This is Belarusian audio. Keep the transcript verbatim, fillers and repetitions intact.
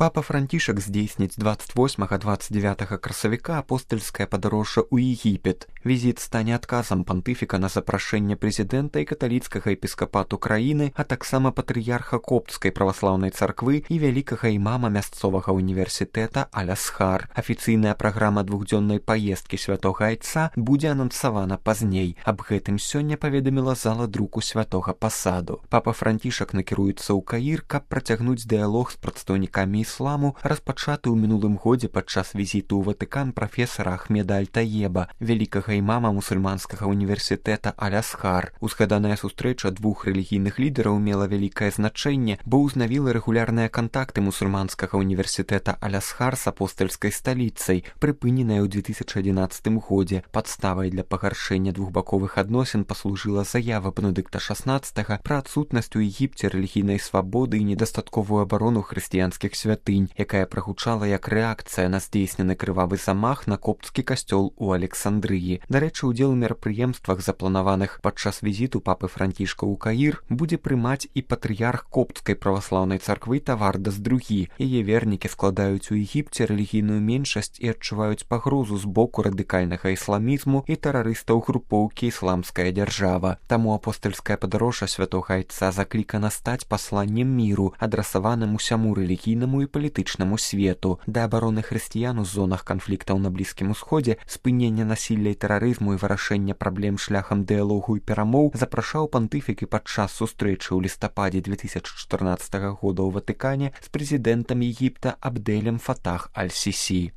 Папа Францішак здзейсніць двадцать восьмага - двадцать девятага красавіка апостальскае падарожжа ў Егіпет. Візіт стане адказам пантыфіка на запрашэнне прэзідэнта і каталіцкага епіскапату краіны, а таксама патрыярха копцкай праваслаўнай царквы і вялікага імама мясцовага універсітэта Аль-Азхар. Афіцыйная праграма двухдзённай паездкі святога айца будзе анансавана пазней. Аб гэтым сёння паведаміла зала друку святога пасаду. Папа Францішак накіруецца ў Каір, каб працягнуць дыялог з прадстаўнікамі ісламу, распачаты ў мінулым годзе падчас візіту ў Ватыкан прафесара Ахмеда Аль-Таеба, вялікага імама мусульманскага універсітэта Аль-Азхар. Узгаданая сустрэча двух рэлігійных лідараў мела вялікае значэнне, бо ўзнавіла рэгулярныя кантакты мусульманскага універсітэта Аль-Азхар з апостальскай сталіцай, прыпыненая ў две тысячы адзінаццатым годзе. Падставай для пагаршэння двухбаковых адносін паслужыла заява Бенедыкта шаснаццатага пра адсутнасць у Егіпце рэлігійнай свабоды і недастатковую абарону хрысціянскіх святынь, якая прагучала як рэакцыя на здзейснены крывавы замах на копцкі касцёл у Александрыі. Дарэчы, удзел у мерапрыемствах, запланаваных падчас візіту папы Францішка ў Каір, будзе прымаць і патрыярх копцкай праваслаўнай царквы Тавардас другі. Яе вернікі складаюць у Егіпце рэлігійную меншасць і адчуваюць пагрозу з боку радыкальнага ісламізму і тэрарыстаў групоўкі «Ісламская дзяржава». Таму апостальскае падарожжа святога айца заклікана стаць пасланнем міру, адрасаваным усяму рэлігійнаму і палітычнаму свету. Да абароны хрысціян у зонах канфліктаў на Блізкім Усходзе, спынення насілля і тэрарызму і вырашэння праблем шляхам дыялогу і перамоў запрашаў пантыфік і падчас сустрэчы ў лістападзе две тысячы чатырнаццатага года ў Ватыкане з прэзідэнтам Егіпта Абдэлем Фатах Аль-Сісі.